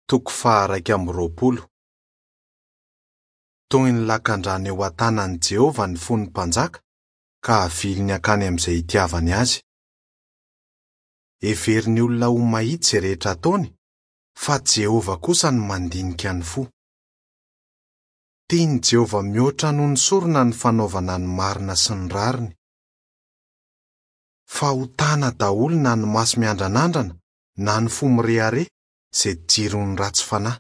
Toko faha-21. Toy ny lakandrano eo an-tanan'i Jehovah ny fon'ny mpanjaka, ka aviliny hankany amin'izay itiavany azy. Heverin'ny olona ho mahitsy izay rehetra ataony, fa Jehovah kosa no mandinika ny fo. Tian'i Jehovah mihoatra noho ny sorona ny fanaovana ny marina sy ny rariny. Fahotana daholo na ny maso miandranandrana na ny fo mirehareha izay jiron'ny ratsy fanahy.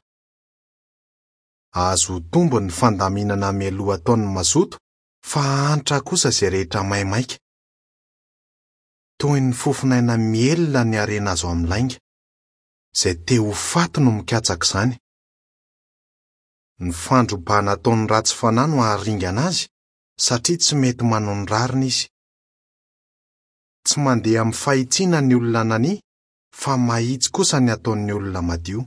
Azo ho tombony ny fandaminana mialoha ataon'ny mazoto fa hahantra kosa izay rehetra maimaika. Toy ny fofon'aina mihelina ny harena azo amin'ny lainga. Izay te ho faty no mikatsaka izany. Ny fandrobana ataon'ny ratsy fanahy no haharingana azy satria tsy mety manao ny rariny izy. Tsy mandeha amin'ny fahitsiana ny olona nania fa mahitsy kosa ny ataon'ny olona madio.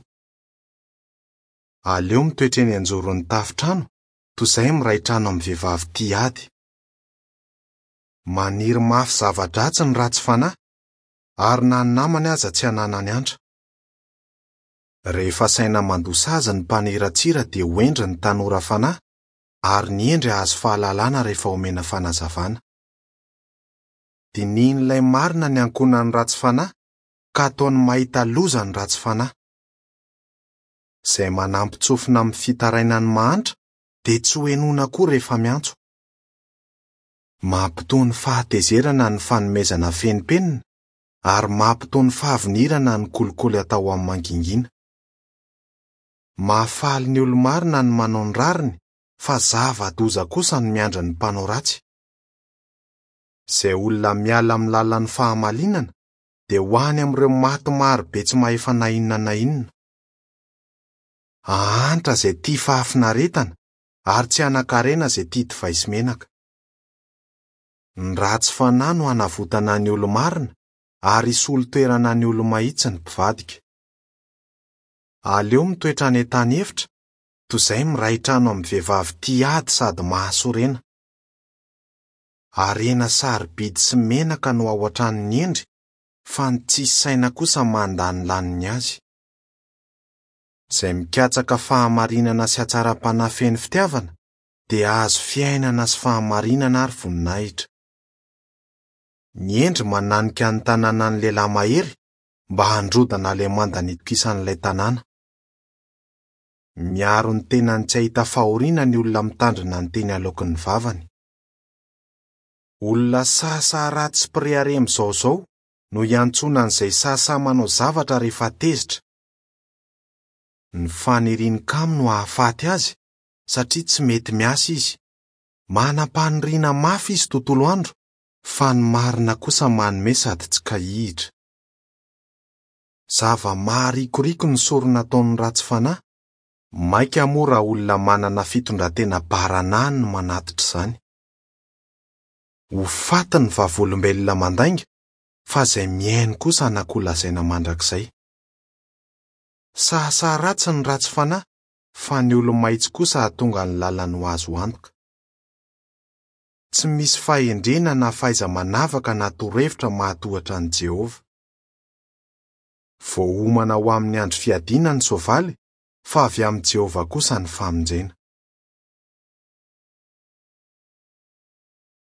Aleo mitoetra eny an-joron'ny tafontrano toy izay miray trano amin'ny vehivavy tia ady. Maniry mafy zava-dratsy ny ratsy fanahy, ary na ny namany aza tsy ananany antra. Rehefa asaina mandoa sazy ny mpaniratsira dia ho hendry ny tanora fanahy, ary ny hendry hahazo fahalalana rehefa omena fanazavana. Dinihin'ilay marina ny ankohonan'ny ratsy fanahy, ka ataony mahita loza ny ratsy fanahy. Izay manampin-tsofina amin'ny fitarainan'ny mahantra dia tsy hohenoina koa rehefa miantso. Mampitony fahatezerana ny fanomezana feno penina ary mampitony fahavinirana ny kolikoly atao amin'ny mangingina. Mahafaly ny olo-marina ny manao ny rariny fa zava-doza kosa no miandry ny mpanao ratsy. Izay olona miala amin'ny lalan'ny fahamalinana dia ho any amin'ireo maty maro be tsy mahefa na inona na inona. Hahantra izay tia fahafinaretana ary tsy hanan-karena izay tia divay sy menaka. Ny ratsy fanahy no hanavotana ny olo-marina ary hisolo toerana ny olo-mahitsy ny mpivadika. Aleo mitoetra any an-tany efitra toy izay miray trano amin'ny vehivavy tia ady sady mahasorena. Harena sarobidy sy menaka no ao an-tranon'ny hendry, fa ny tsisy saina kosa mandanilany ny azy. Izay mikatsaka fahamarinana sy hatsaram-panahy feno fitiavana dia hahazo fiainana sy fahamarinana ary voninahitra. Ny hendry mananika ny tanànan'ny lehilahy mahery mba handrodana ilay manda nitokisan'ilay tanàna. Miaro ny tenany tsy hahita fahoriana ny olona mitandrina ny teny aloaky ny vavany. Olona sahasaha ratsy sy mpirehareha mizaozao no iantsoana an'izay sahasahy manao zavatra rehefa tezitra. Ny fanirian'ny kamo no hahafaty azy satria tsy mety miasa izy. Manam-paniriana mafy izy tontolo andro fa ny marina kosa manome sady tsy kahihitra. Zava-maharikoriko ny sorona ataon'ny ratsy fanahy, mainka moa raha olona manana fitondran-tena baranahiny no manatitra izany. Ho faty ny vavolombelona mandainga, fa izay mihaino kosa hanan-kolazaina mandrakizay. Sahasaha ratsy ny ratsy fanahy, fa ny olo-mahitsy kosa hahatonga ny lalany ho azo antoka. Tsy misy fahendrena na fahaiza-manavaka na torohevitra mahatohitra an'i Jehovah. Voaomana ho amin'ny andro fiadiana ny soavaly, fa avy amin'i Jehovah kosa ny famonjena.